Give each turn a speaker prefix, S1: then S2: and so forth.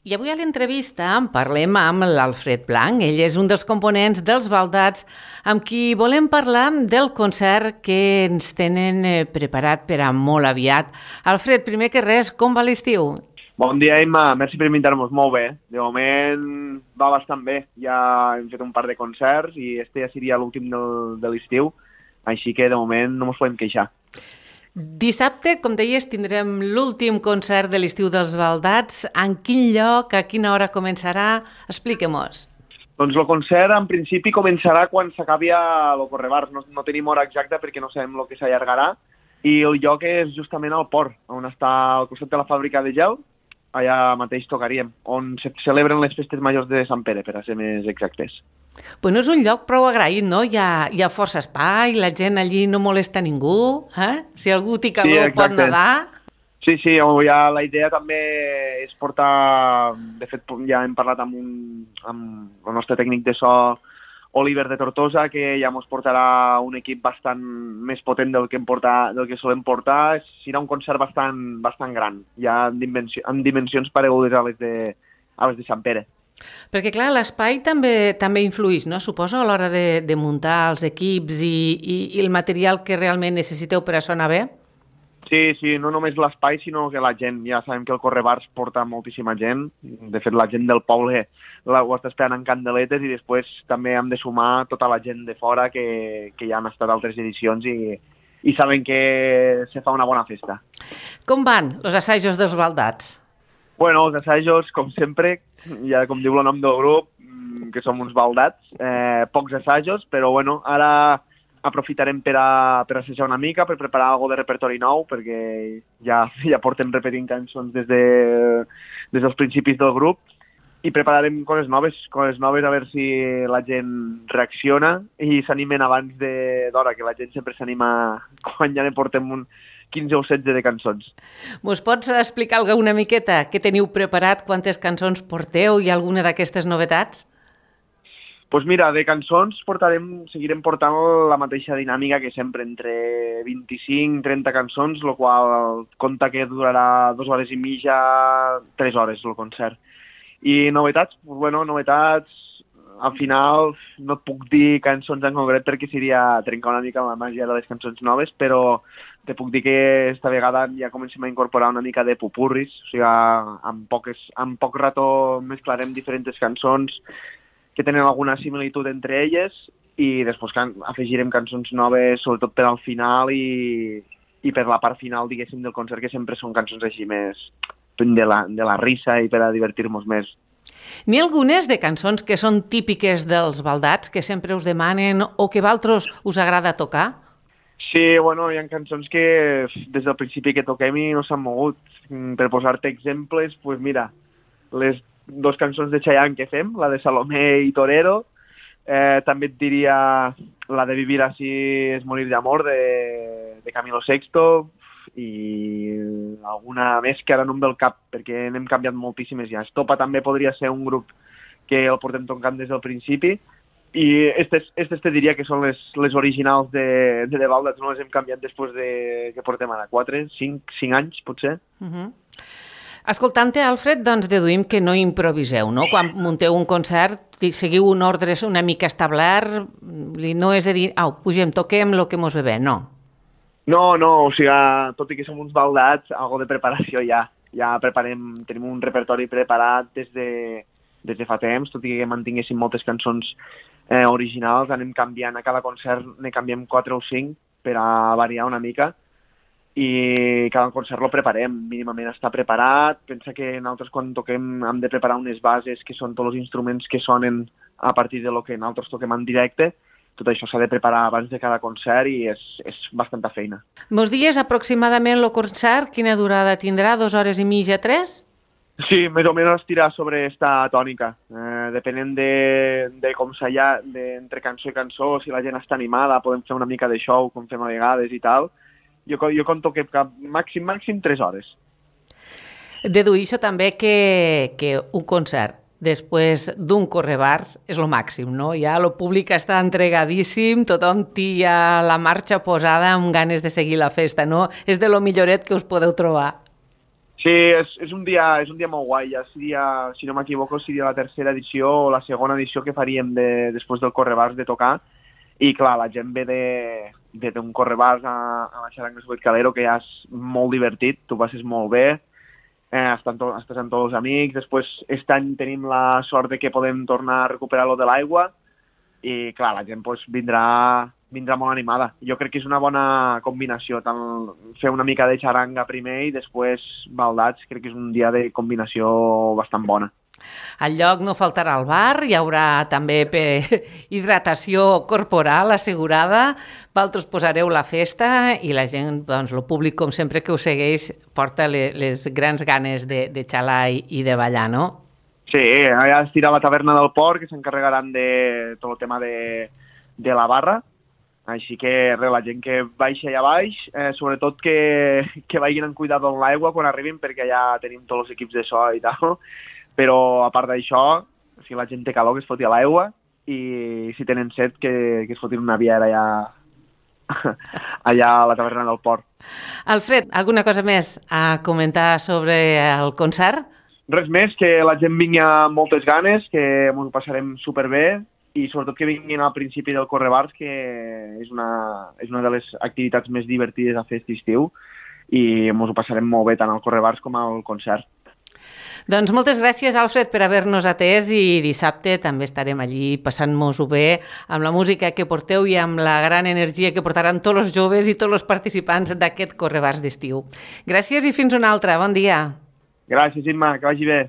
S1: I avui a l'entrevista parlem amb l'Alfred Blanc. Ell és un dels components dels Baldats amb qui volem parlar del concert que ens tenen preparat per a molt aviat. Alfred, primer que res, com va l'estiu?
S2: Bon dia, Emma. Merci per invitar-nos. Molt bé. De moment va bastant bé. Ja hem fet un par de concerts i este ja seria l'últim de l'estiu, així que de moment no ens podem queixar.
S1: Dissabte, com deies, tindrem l'últim concert de l'estiu dels Baldats. En quin lloc, a quina hora començarà? Expliquem-nos.
S2: Doncs el concert en principi començarà quan s'acabi el Correbars. No tenim hora exacta perquè no sabem el que s'allargarà. I el lloc és justament al port, on està al costat de la fàbrica de gel. Allà mateix tocaríem, on se celebren les festes majors de Sant Pere, per a ser més exactes.
S1: Bueno, és un lloc prou agraït, no? Hi ha força espai, la gent allí no molesta ningú, eh? Si algú té calor pot nedar.
S2: Sí, ja la idea també és portar... De fet, ja hem parlat amb el nostre tècnic de so, Oliver de Tortosa, que ja ens portarà un equip bastant més potent del que solem portar. Serà un concert bastant gran, ja en dimensions paregudes a les de Sant Pere.
S1: Perquè, clar, l'espai també influïx, no? Suposo, a l'hora de muntar els equips i el material que realment necessiteu per a sonar bé?
S2: Sí, no només l'espai, sinó que la gent. Ja sabem que el Correbars porta moltíssima gent. De fet, la gent del poble ho està esperant en candeletes i després també hem de sumar tota la gent de fora que ja han estat a altres edicions i saben que se fa una bona festa.
S1: Com van els assajos dels Baldats?
S2: Bueno, els assajos, com sempre, ja com diu el nom del grup, que som uns baldats, pocs assajos, però bueno, ara aprofitarem per assajar una mica, per preparar alguna de repertori nou, perquè ja portem repetint cançons des dels principis del grup, i prepararem coses noves a veure si la gent reacciona i s'animen abans d'hora, que la gent sempre s'anima quan ja ne portem 15 o 16 de cançons.
S1: Mos pots explicar una miqueta què teniu preparat, quantes cançons porteu i alguna d'aquestes novetats?
S2: Doncs mira, de cançons seguirem portant la mateixa dinàmica que sempre, entre 25 i 30 cançons, el qual compta que durarà 2 hores i mitja, 3 hores el concert. I novetats, al final no et puc dir cançons en concret perquè seria trencar una mica la màgia de les cançons noves, però te puc dir que esta vegada ja comencem a incorporar una mica de pupurris, o sigui, en poc rato mesclarem diferents cançons que tenen alguna similitud entre elles i després afegirem cançons noves, sobretot per al final i per la part final, diguéssim, del concert, que sempre són cançons així més de la risa i per a divertir-nos més.
S1: N'hi ha algunes de cançons que són típiques dels Baldats, que sempre us demanen o que a vosaltres us agrada tocar?
S2: Sí, bueno, hi ha cançons que des del principi que toquem i no s'han mogut. Per posar-te exemples, doncs mira, les 2 cançons de Chayanne que fem, la de Salomé i Torero, també et diria la de Vivir así es morir d'amor, de Camilo Sexto, i alguna més que ara no em ve al cap, perquè n'hem canviat moltíssimes ja. Estopa també podria ser un grup que el portem tocant des del principi, i estes te diria que són les originals de Baldats, no les hem canviat després que portem ara 5 anys, potser.
S1: Escoltant-te, Alfred, doncs deduïm que no improviseu, no? Quan munteu un concert, seguiu un ordre una mica establert, no és de dir, pugem, toquem el que mos ve bé, no?
S2: No, o sigui, tot i que som uns baldats, algo de preparació ja preparem, tenim un repertori preparat des de fa temps, tot i que mantinguéssim moltes cançons originals, anem canviant, a cada concert ne canviem 4 o 5 per a variar una mica, i cada concert lo preparem, mínimament està preparat. Pensa que nosaltres quan toquem hem de preparar unes bases que són tots els instruments que sonen a partir de lo que nosaltres toquem en directe. Tot això s'ha de preparar abans de cada concert i és bastanta feina.
S1: Mos dies aproximadament el concert, quina durada tindrà? 2 hores i mitja, 3?
S2: Sí, més o menys estirar sobre esta tònica. Depenent de com s'allà, entre cançó i cançó, si la gent està animada, podem fer una mica de show, com fem a vegades i tal. Jo conto que màxim 3 hores.
S1: Deduïixo també que un concert després d'un Correbars és el màxim, no? Ja el públic està entregadíssim, tothom té ja la marxa posada amb ganes de seguir la festa, no? És de lo milloret que us podeu trobar.
S2: Sí, és un dia molt guai. Ja seria, si no m'equivoco, seria la tercera edició o la segona edició que faríem després del Correbars de tocar. I clar, la gent ve d'un Correbars a la Xaranga Subet Calero, que ja és molt divertit, tu passes molt bé, estàs amb tots els amics. Després, aquest any tenim la sort de que podem tornar a recuperar lo de l'aigua i clar, la gent pues, vindrà molt animada. Jo crec que és una bona combinació, tant fer una mica de xaranga primer i després baldats, crec que és un dia de combinació bastant bona.
S1: Al lloc no faltarà el bar, hi haurà també hidratació corporal assegurada, vosaltres posareu la festa i la gent, doncs el públic, com sempre que us segueix, porta les grans ganes de xalar i de ballar, no?
S2: Sí, allà estirà la taverna del port, que s'encarregaran de tot el tema de la barra, així que res, la gent que baixa allà baix, sobretot que vagin amb cuidat amb l'aigua quan arribin, perquè ja tenim tots els equips de so i tal, però a part d'això, si la gent té calor, que es foti a l'aigua, i si tenen set, que es fotin una biera allà a la taverna del port.
S1: Alfred, alguna cosa més a comentar sobre el concert?
S2: Res més, que la gent vingui amb moltes ganes, que ens ho passarem superbé i sobretot que vinguin al principi del Correbars, que és una de les activitats més divertides a fer aquest estiu i ens ho passarem molt bé tant al Correbars com al concert.
S1: Doncs moltes gràcies, Alfred, per haver-nos atès i dissabte també estarem allí passant-nos-ho bé amb la música que porteu i amb la gran energia que portaran tots els joves i tots els participants d'aquest Correbars d'estiu. Gràcies i fins una altra. Bon dia.
S2: Gràcies, Imma, que vagi bé.